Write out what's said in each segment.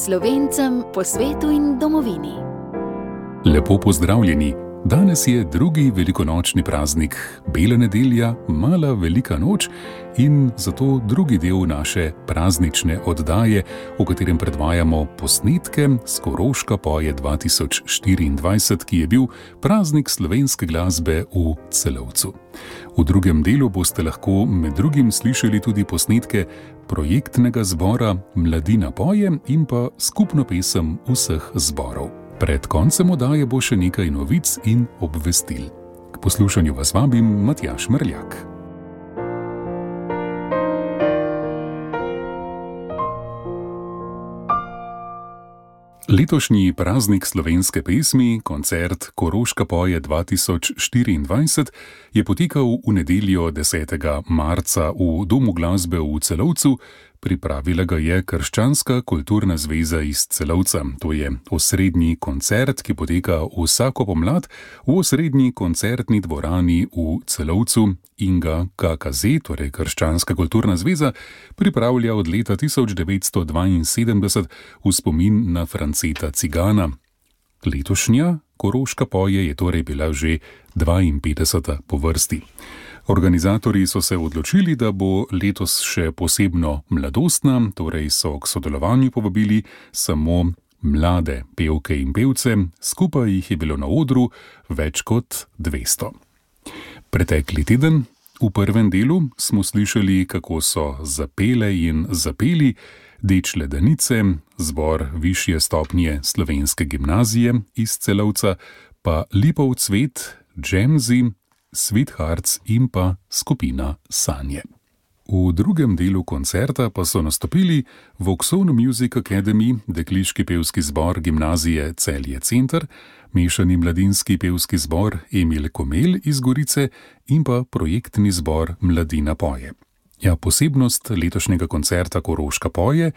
Slovencem po svetu in domovini. Lepo pozdravljeni! Danes je drugi velikonočni praznik, Bela nedelja, Mala velika noč in zato drugi del naše praznične oddaje, v katerem predvajamo posnetke s Koroška poje 2024, ki je bil praznik slovenske glasbe v Celovcu. V drugem delu boste lahko med drugim slišali tudi posnetke projektnega zbora Mladina poje in pa skupno pesem vseh zborov. Pred koncem oddaje bo še nekaj novic in obvestil. K poslušanju vas vabim Matjaž Mrljak. Letošnji praznik slovenske pesmi, koncert Koroška poje 2024, je potekal v nedeljo 10. marca v Domu glasbe v Celovcu. Pripravila ga je Krščanska kulturna zveza iz Celovca. To je osrednji koncert, ki poteka vsako pomlad v osrednji koncertni dvorani v Celovcu in ga KKZ, torej Krščanska kulturna zveza, pripravlja od leta 1972 v spomin na Franceta Cigana. Letošnja Koroška poje je torej bila že 52. po vrsti. Organizatorji so se odločili, da bo letos še posebno mladostna, torej so k sodelovanju povabili samo mlade pevke in pevce, skupaj jih je bilo na odru več kot 200. Pretekli teden, v prvem delu, smo slišali, kako so zapele in zapeli Dečle Danice, zbor višje stopnje slovenske gimnazije iz Celovca, pa Lipov cvet, Džemzi, Sweethearts in pa skupina Sanje. V drugem delu koncerta pa so nastopili Vauxhall Music Academy, dekliški pevski zbor gimnazije Celje Center, mešani mladinski pevski zbor Emil Komel iz Gorice in pa projektni zbor Mladina poje. Ja, posebnost letošnjega koncerta Koroška poje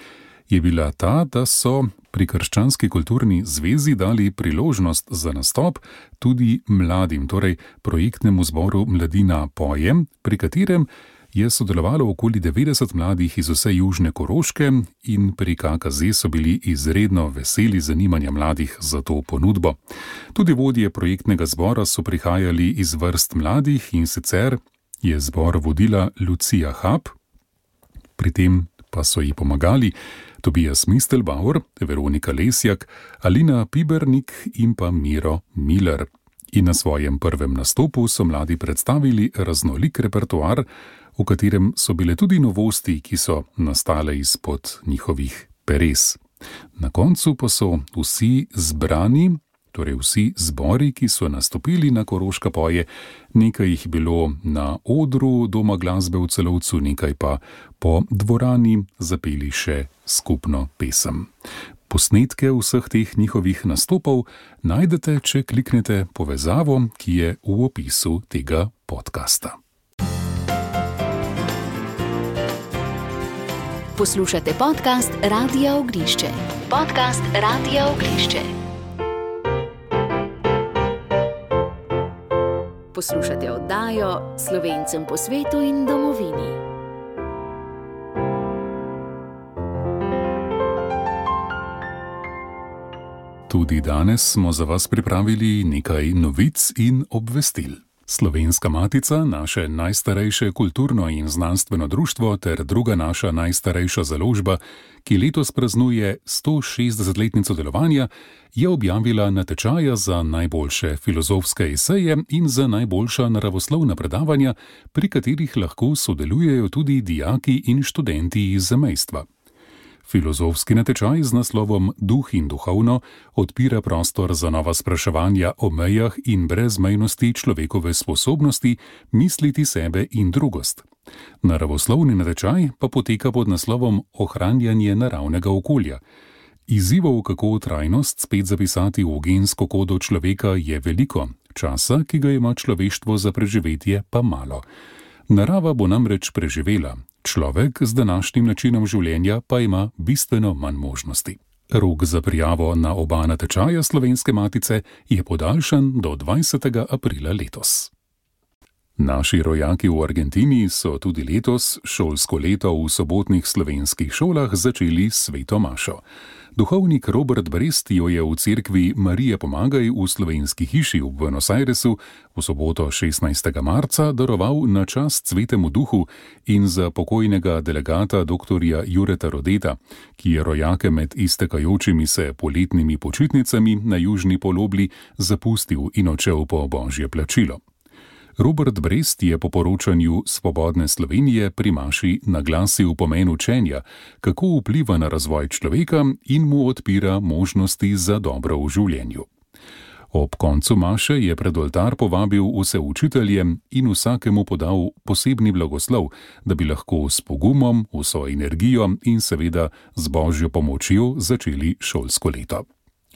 je bila ta, da so pri Krščanski kulturni zvezi dali priložnost za nastop tudi mladim, torej projektnemu zboru Mladina poje, pri katerem je sodelovalo okoli 90 mladih iz vse južne Koroške in pri KKZ so bili izredno veseli zanimanja mladih za to ponudbo. Tudi vodje projektnega zbora so prihajali iz vrst mladih in sicer je zbor vodila Lucija Hab, pri tem pa so ji pomagali Tobias Mistelbauer, Veronika Lesjak, Alina Pibernik in pa Miro Miller. In na svojem prvem nastopu so mladi predstavili raznolik repertoar, v katerem so bile tudi novosti, ki so nastale izpod njihovih peres. Na koncu pa so vsi zbrani, torej vsi zbori, ki so nastopili na Koroška poje, nekaj jih bilo na odru Doma glasbe v Celovcu, nekaj pa po dvorani zapeli še skupno pesem. Posnetke vseh teh njihovih nastopov najdete, če kliknete povezavo, ki je v opisu tega podcasta. Poslušate podcast Radia Ognišče. Podcast Radia Ognišče. Poslušate oddajo Slovencem po svetu in domovini. Tudi danes smo za vas pripravili nekaj novic in obvestil. Slovenska matica, naše najstarejše kulturno in znanstveno društvo ter druga naša najstarejša založba, ki letos praznuje 160-letnico delovanja, je objavila natečaja za najboljše filozofske eseje in za najboljša naravoslovna predavanja, pri katerih lahko sodelujejo tudi dijaki in študenti iz zamejstva. Filozofski natečaj z naslovom Duh in duhovno odpira prostor za nova spraševanja o mejah in brezmejnosti človekove sposobnosti misliti sebe in drugost. Naravoslovni natečaj pa poteka pod naslovom Ohranjanje naravnega okolja. Izzivov, kako trajnost spet zapisati v gensko kodo človeka, je veliko, časa, ki ga ima človeštvo za preživetje, pa malo. Narava bo namreč preživela, človek z današnjim načinom življenja pa ima bistveno manj možnosti. Rok za prijavo na oba natečaja Slovenske matice je podaljšan do 20. aprila letos. Naši rojaki v Argentini so tudi letos šolsko leto v sobotnih slovenskih šolah začeli s sveto mašo. Duhovnik Robert Brest jo je v cerkvi Marije Pomagaj v Slovenski hiši v Buenos Airesu v soboto 16. marca daroval na čast Svetemu duhu in za pokojnega delegata dr. Jureta Rodeta, ki je rojake med iztekajočimi se poletnimi počitnicami na južni polobli zapustil in odšel po božje plačilo. Robert Brest je po poročanju Svobodne Slovenije pri maši naglasil pomen učenja, kako vpliva na razvoj človeka in mu odpira možnosti za dobro v življenju. Ob koncu maše je pred oltar povabil vse učitelje in vsakemu podal posebni blagoslov, da bi lahko s pogumom, vso energijo in seveda z božjo pomočjo začeli šolsko leto.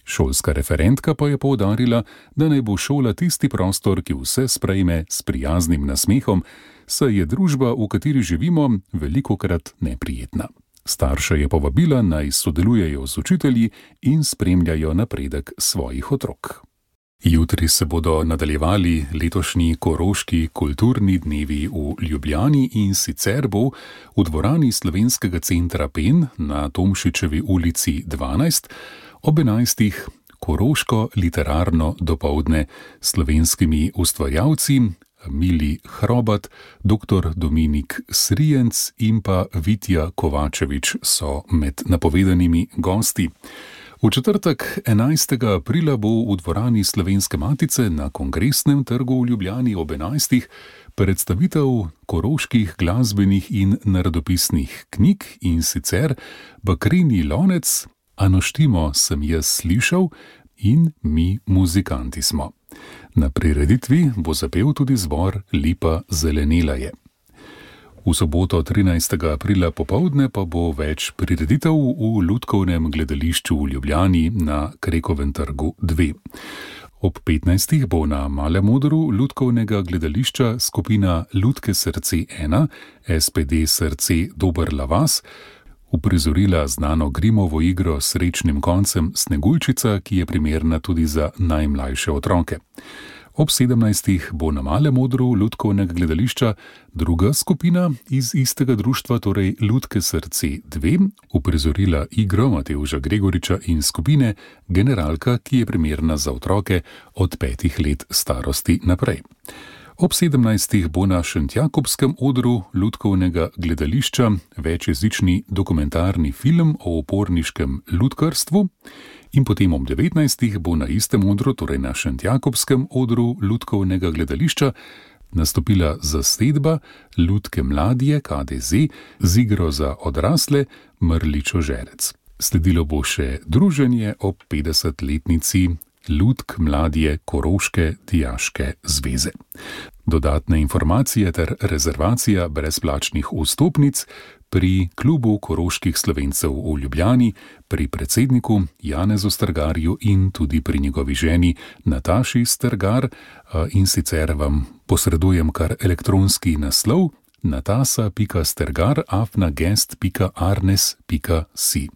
Šolska referentka pa je poudarila, da naj bo šola tisti prostor, ki vse sprejme s prijaznim nasmehom, saj je družba, v kateri živimo, velikokrat neprijetna. Starše je povabila, naj sodelujejo z učitelji in spremljajo napredek svojih otrok. Jutri se bodo nadaljevali letošnji Koroški kulturni dnevi v Ljubljani in sicer bo v dvorani Slovenskega centra Pen na Tomšičevi ulici 12 ob 11. Koroško literarno dopoldne s slovenskimi ustvarjalci Mili Hrobat, dr. Dominik Srijenc in pa Vitja Kovačevič so med napovedanimi gosti. V četrtek 11. aprila bo v dvorani Slovenske matice na Kongresnem trgu v Ljubljani ob 11. predstavitev koroških glasbenih in narodopisnih knjig in sicer Bakreni lonec, Anoštimo sem jaz slišal in Mi muzikanti smo. Na prireditvi bo zapel tudi zbor Lipa zelenela je. V soboto 13. aprila popoldne pa bo več prireditev v Lutkovnem gledališču v Ljubljani na Krekovem trgu 2. Ob 15. bo na Malem odru Lutkovnega gledališča skupina Lutke srce 1, SPD srce Dober Lavas, uprizorila znano Grimovo igro s srečnim koncem Sneguljčica, ki je primerna tudi za najmlajše otroke. Ob 17. bo na Malem odru Lutkovnega gledališča druga skupina iz istega društva, torej Lutke srce 2, uprizorila igro Matevža Gregoriča in skupine Generalka, ki je primerna za otroke od 5 let starosti naprej. Ob 17. bo na Šentjakobskem odru Lutkovnega gledališča večjezični dokumentarni film o uporniškem lutkarstvu in potem ob 19. bo na istem odru, torej na Šentjakobskem odru Lutkovnega gledališča, nastopila zasedba Lutke mladje KDZ z igro za odrasle Mrličo žerec. Sledilo bo še druženje ob 50-letnici Lutk mladje Koroške dijaške zveze. Dodatne informacije ter rezervacija brezplačnih vstopnic pri klubu koroških Slovencev v Ljubljani, pri predsedniku Janezu Strgarju in tudi pri njegovi ženi Nataši Strgar, in sicer vam posredujem kar elektronski naslov natasa.strgar@guest.arnes.si.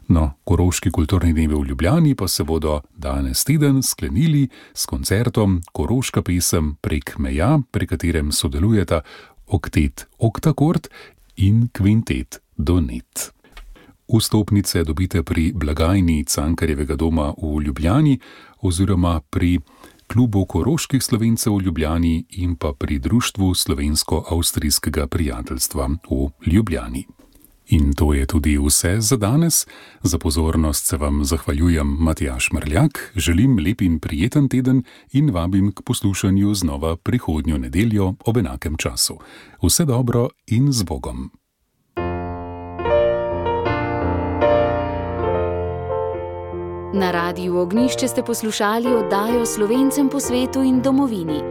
No, Koroški kulturni dnevi v Ljubljani pa se bodo danes teden sklenili s koncertom Koroška pesem prek meja, pri katerem sodelujeta oktet Oktakord in kvintet Donet. Vstopnice dobite pri blagajni Cankarjevega doma v Ljubljani oziroma pri klubu koroških Slovencev v Ljubljani in pa pri društvu Slovensko-avstrijskega prijateljstva v Ljubljani. In to je tudi vse za danes. Za pozornost se vam zahvaljujem Matjaž Mrljak, želim lep in prijeten teden in vabim k poslušanju znova prihodnjo nedeljo ob enakem času. Vse dobro in z Bogom. Na Radiu Ognjišče ste poslušali oddajo Slovencem po svetu in domovini.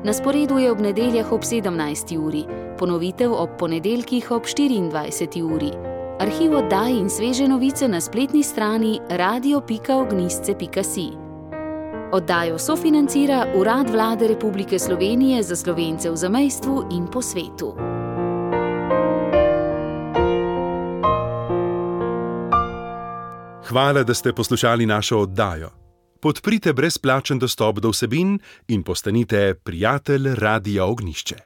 Na sporedu je ob nedeljah ob 17. uri, ponovitev ob ponedeljkih ob 24. uri. Arhiv oddaj in sveže novice na spletni strani radio.ognjišče.si. Oddajo sofinancira Urad Vlade Republike Slovenije za Slovence v zamejstvu in po svetu. Hvala, da ste poslušali našo oddajo. podprite brezplačen dostop do vsebin in postanite prijatelj Radia Ognjišče.